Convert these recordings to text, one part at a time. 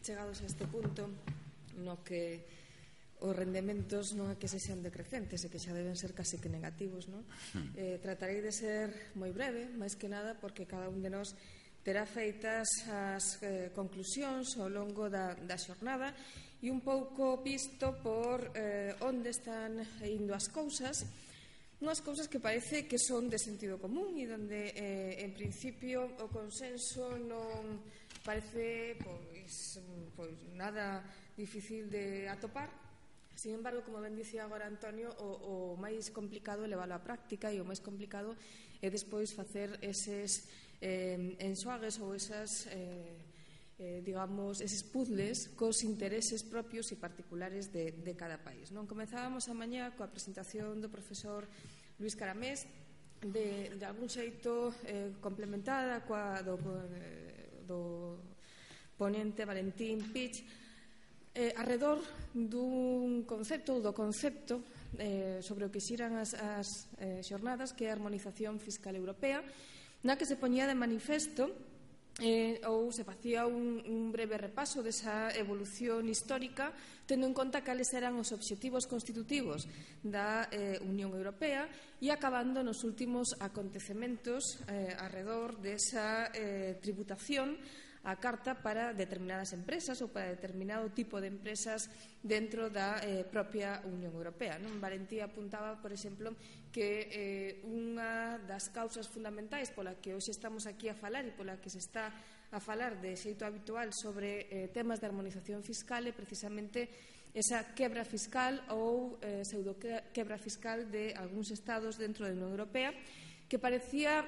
chegados a este punto no que os rendementos non é que sexan decrecentes, é que xa deben ser case que negativos, non? Tratarei de ser moi breve, máis que nada porque cada un de nós terá feitas as conclusións ao longo da xornada e un pouco visto por onde están indo as cousas, unhas cousas que parece que son de sentido común e onde en principio o consenso non parece pois nada difícil de atopar. Sin embargo, como ben dicía agora Antonio, o máis complicado é leválo á práctica e o máis complicado é despois facer eses enxuagues ou esas digamos, eses puzzles cos intereses propios e particulares de cada país. Non comezábamos a mañá coa presentación do profesor Luis Caramés de algún xeito complementada coa do ponente Valentín Pich arredor dun concepto ou do concepto sobre o que xiran as xornadas, que é a armonización fiscal europea, na que se poñía de manifesto ou se facía un breve repaso desa evolución histórica tendo en conta cales eran os obxectivos constitutivos da Unión Europea e acabando nos últimos acontecementos arredor desa tributación a carta para determinadas empresas ou para determinado tipo de empresas dentro da propia Unión Europea. Valentía apuntaba, por exemplo, que unha das causas fundamentais pola que hoxe estamos aquí a falar e pola que se está a falar de xeito habitual sobre temas de armonización fiscal é precisamente esa quebra fiscal ou pseudo quebra fiscal de algúns estados dentro da Unión Europea que parecía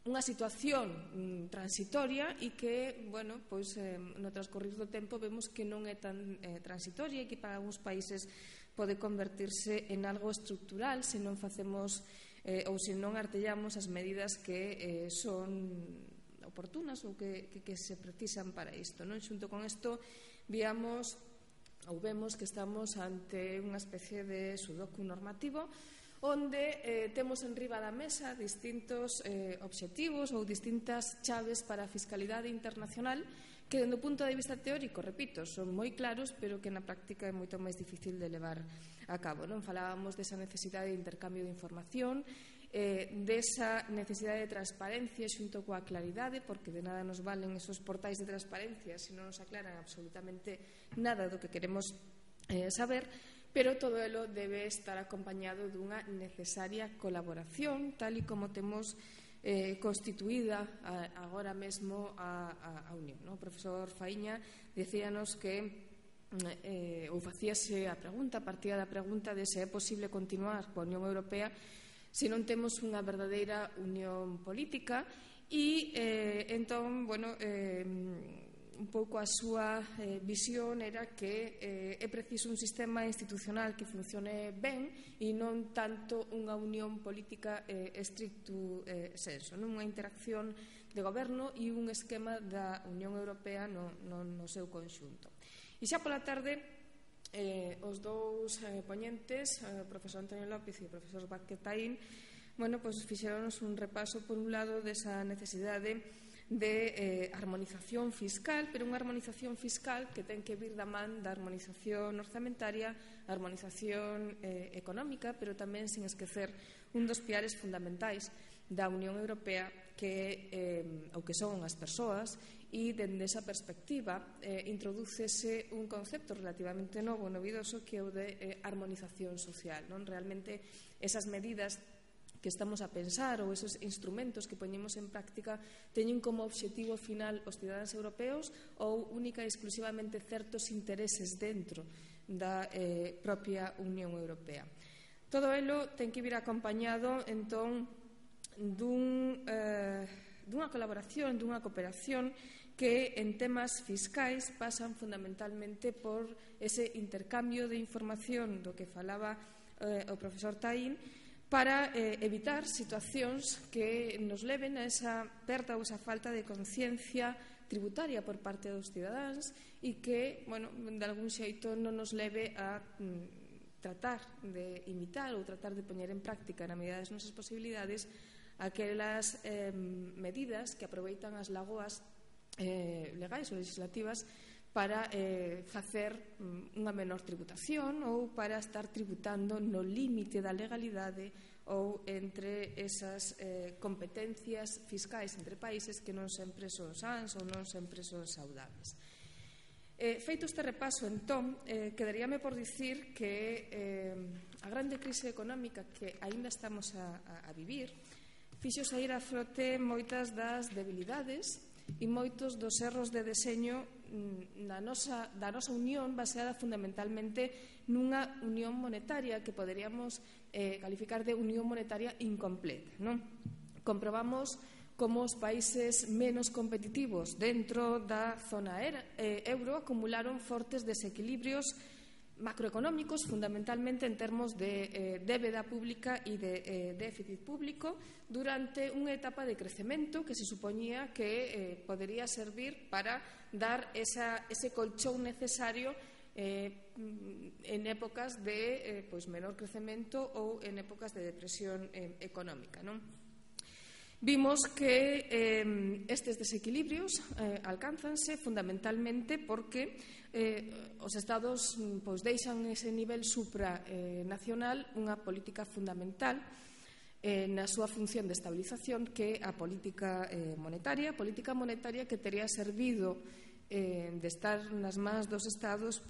unha situación transitoria e que, bueno, pois no transcorrir do tempo vemos que non é tan transitoria e que para algúns países pode convertirse en algo estructural se non facemos ou se non artellamos as medidas que son oportunas ou que se precisan para isto, non? Xunto con isto vemos que estamos ante unha especie de sudoku normativo onde temos enriba da mesa distintos obxectivos ou distintas chaves para a fiscalidade internacional que, dende o punto de vista teórico, repito, son moi claros, pero que na práctica é moito máis difícil de levar a cabo. Non falábamos desa necesidade de intercambio de información, desa necesidade de transparencia xunto coa claridade, porque de nada nos valen esos portais de transparencia se non nos aclaran absolutamente nada do que queremos saber, pero todo elo debe estar acompañado dunha necesaria colaboración, tal e como temos constituída agora mesmo a Unión. O profesor Faiña dicíanos que ou facíase a pregunta, partía da pregunta de se é posible continuar coa Unión Europea se non temos unha verdadeira unión política e entón, bueno, un pouco a súa visión era que é preciso un sistema institucional que funcione ben e non tanto unha unión política estricto senso, non? Unha interacción de goberno e un esquema da Unión Europea no seu conxunto. E xa pola tarde os dous poñentes, o profesor Antonio López e o profesor Vázquez Taín, bueno, pois fixeronos un repaso por un lado desa necesidade de armonización fiscal, pero unha armonización fiscal que ten que vir da man da armonización orzamentaria, a armonización económica, pero tamén sen esquecer un dos piares fundamentais da Unión Europea o que son as persoas e dende esa perspectiva introdúcese un concepto relativamente novo, novidoso, que é o de armonización social, non? Realmente esas medidas que estamos a pensar ou esos instrumentos que poñemos en práctica teñen como obxectivo final os cidadáns europeos ou única e exclusivamente certos intereses dentro da propia Unión Europea. Todo elo ten que vir acompañado entón dunha colaboración, dunha cooperación que en temas fiscais pasan fundamentalmente por ese intercambio de información do que falaba o profesor Taín para evitar situacións que nos leven a esa perda ou esa falta de conciencia tributaria por parte dos cidadáns e que, bueno, de algún xeito non nos leve a tratar de imitar ou tratar de poñer en práctica na medida das nosas posibilidades aquelas medidas que aproveitan as lagoas legais ou legislativas para facer unha menor tributación ou para estar tributando no límite da legalidade ou entre esas competencias fiscais entre países que non sempre son sans ou non sempre son saudables. Feito este repaso, entón, quedaríame por dicir que a grande crise económica que aínda estamos a vivir fixo saír a frote moitas das debilidades e moitos dos erros de deseño da nosa unión baseada fundamentalmente nunha unión monetaria que poderíamos calificar de unión monetaria incompleta, non? Comprobamos como os países menos competitivos dentro da zona euro acumularon fortes desequilibrios macroeconómicos, fundamentalmente en termos de débeda pública e de déficit público, durante unha etapa de crecemento que se supoñía que podería servir para dar ese colchón necesario en épocas de menor crecemento ou en épocas de depresión económica, non? Vimos que estes desequilibrios alcánzanse fundamentalmente porque os Estados deixan ese nivel supranacional unha política fundamental na súa función de estabilización que a política monetaria que tería servido de estar nas mans dos Estados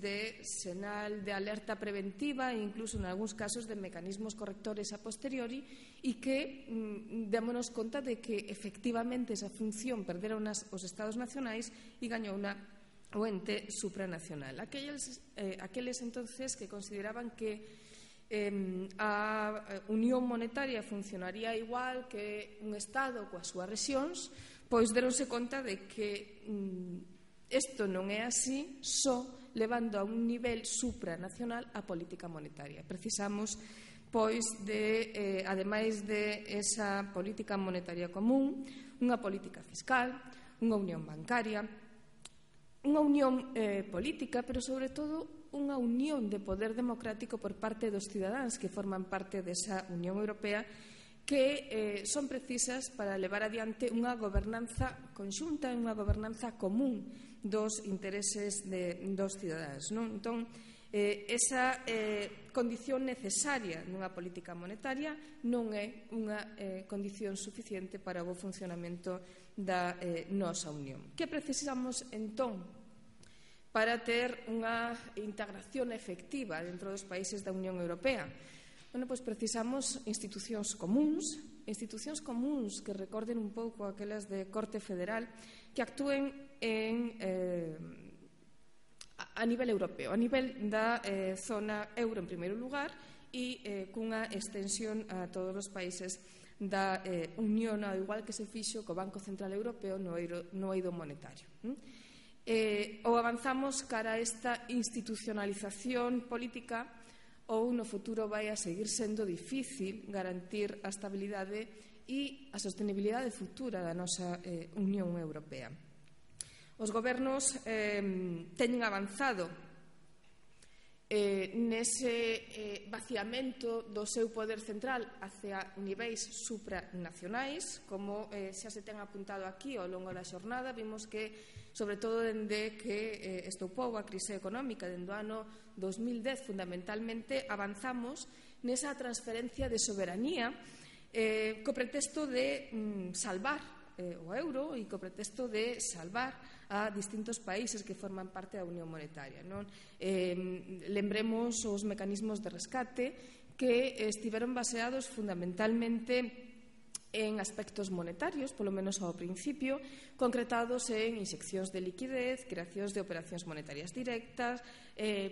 de senal de alerta preventiva e incluso en algúns casos de mecanismos correctores a posteriori e que démonos conta de que efectivamente esa función perderon os Estados nacionais e gañou o ente supranacional. Aqueles entonces que consideraban que a unión monetaria funcionaría igual que un Estado coas súas rexións, pois deronse conta de que isto non é así, só levando a un nivel supranacional a política monetaria. Precisamos, pois, ademais de esa política monetaria común, unha política fiscal, unha unión bancaria, unha unión política, pero sobre todo unha unión de poder democrático por parte dos cidadáns que forman parte desa Unión Europea que son precisas para levar adiante unha gobernanza conxunta, unha gobernanza común dos intereses dos cidadáns, non? Entón, esa condición necesaria nunha política monetaria non é unha condición suficiente para o bo funcionamento da nosa Unión. Que precisamos, entón, para ter unha integración efectiva dentro dos países da Unión Europea? Bueno, pois precisamos institucións comuns que recorden un pouco aquelas de corte federal que actúen a nivel europeo, a nivel da zona euro en primeiro lugar e cunha extensión a todos os países da Unión, ao igual que se fixo co Banco Central Europeo no eido monetario. Ou avanzamos cara a esta institucionalización política ou no futuro vai a seguir sendo difícil garantir a estabilidade e a sostenibilidade futura da nosa Unión Europea. Os gobernos teñen avanzado nese vaciamento do seu poder central hacia niveis supranacionais, como xa se ten apuntado aquí ao longo da xornada. Vimos que, sobre todo dende que estoupou a crise económica dende o ano 2010, fundamentalmente avanzamos nesa transferencia de soberanía co pretexto de salvar o euro e co pretexto de salvar a distintos países que forman parte da Unión Monetaria, non? Lembremos os mecanismos de rescate que estiveron baseados fundamentalmente en aspectos monetarios, polo menos ao principio, concretados en inxeccións de liquidez, creacións de operacións monetarias directas,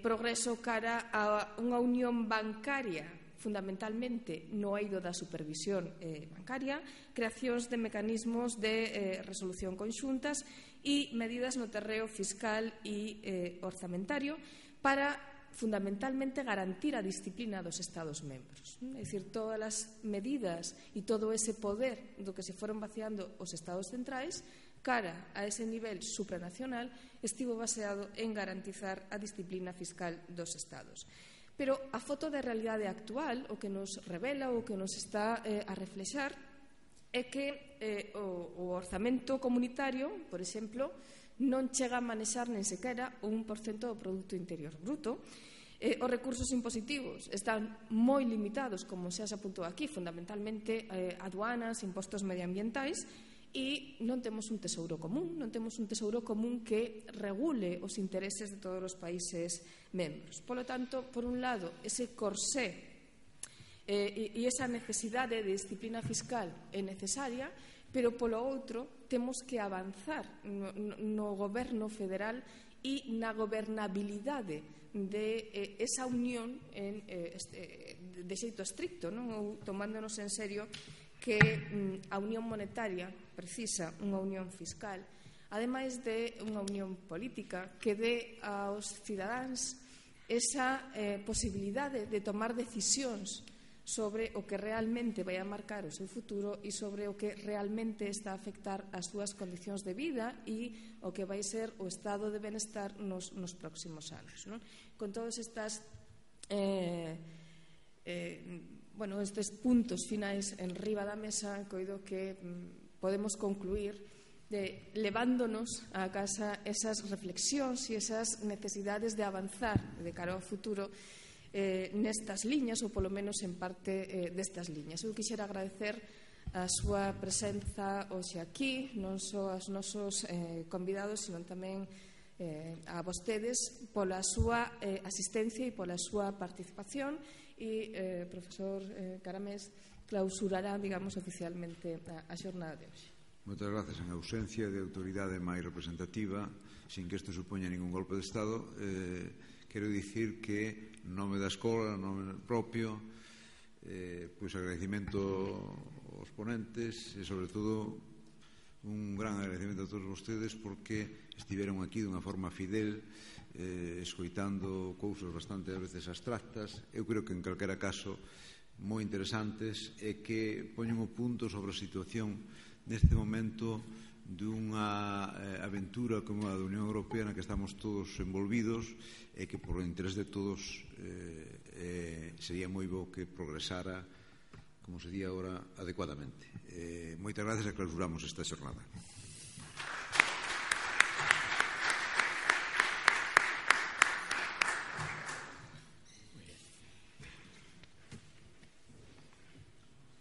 progreso cara a unha unión bancaria fundamentalmente no eido da supervisión bancaria, creacións de mecanismos de resolución conxuntas e medidas no terreo fiscal e orzamentario para fundamentalmente garantir a disciplina dos Estados membros. É dicir, todas as medidas e todo ese poder do que se foron vaciando os Estados centrais cara a ese nivel supranacional estivo baseado en garantizar a disciplina fiscal dos Estados. Pero a foto da realidade actual, o que nos revela, o que nos está a reflexar, é que o orzamento comunitario, por exemplo, non chega a manexar nen sequera o 1% do Produto Interior Bruto. Os recursos impositivos están moi limitados, como xa se apuntou aquí, fundamentalmente aduanas, impostos medioambientais, e non temos un tesouro común, que regule os intereses de todos os países membros. Polo tanto, por un lado, ese corsé e esa necesidade de disciplina fiscal é necesaria, pero polo outro temos que avanzar no goberno federal e na gobernabilidade de esa unión de xeito estricto, ou tomándonos en serio que a unión monetaria precisa unha unión fiscal, ademais de unha unión política que dé aos cidadáns esa posibilidade de tomar decisións sobre o que realmente vai a marcar o seu futuro e sobre o que realmente está a afectar as súas condicións de vida e o que vai ser o estado de benestar nos próximos anos. Con todos estes puntos finais en riba da mesa, coido que podemos concluir levándonos a casa esas reflexións e esas necesidades de avanzar de cara ao futuro nestas liñas, ou polo menos en parte destas liñas. Eu quixera agradecer a súa presenza hoxe aquí, non só aos nosos convidados, sino tamén a vostedes pola súa asistencia e pola súa participación, e profesor Caramés clausurará, digamos, oficialmente a xornada de hoxe. Moitas gracias. En ausencia de autoridade máis representativa, sin que isto supoña ningún golpe de Estado, quero dicir que nome da escola, nome propio, pois agradecimento aos ponentes e, sobre todo, un gran agradecimento a todos vostedes porque estiveron aquí dunha forma fidel, escoitando cousas bastante a veces abstractas, eu creo que en calquera caso moi interesantes, e que poñen o punto sobre a situación neste momento dunha aventura como a da Unión Europea na que estamos todos envolvidos e que por o interés de todos sería moi bo que progresara, como se di agora, adecuadamente. Moitas gracias e clausuramos esta xornada.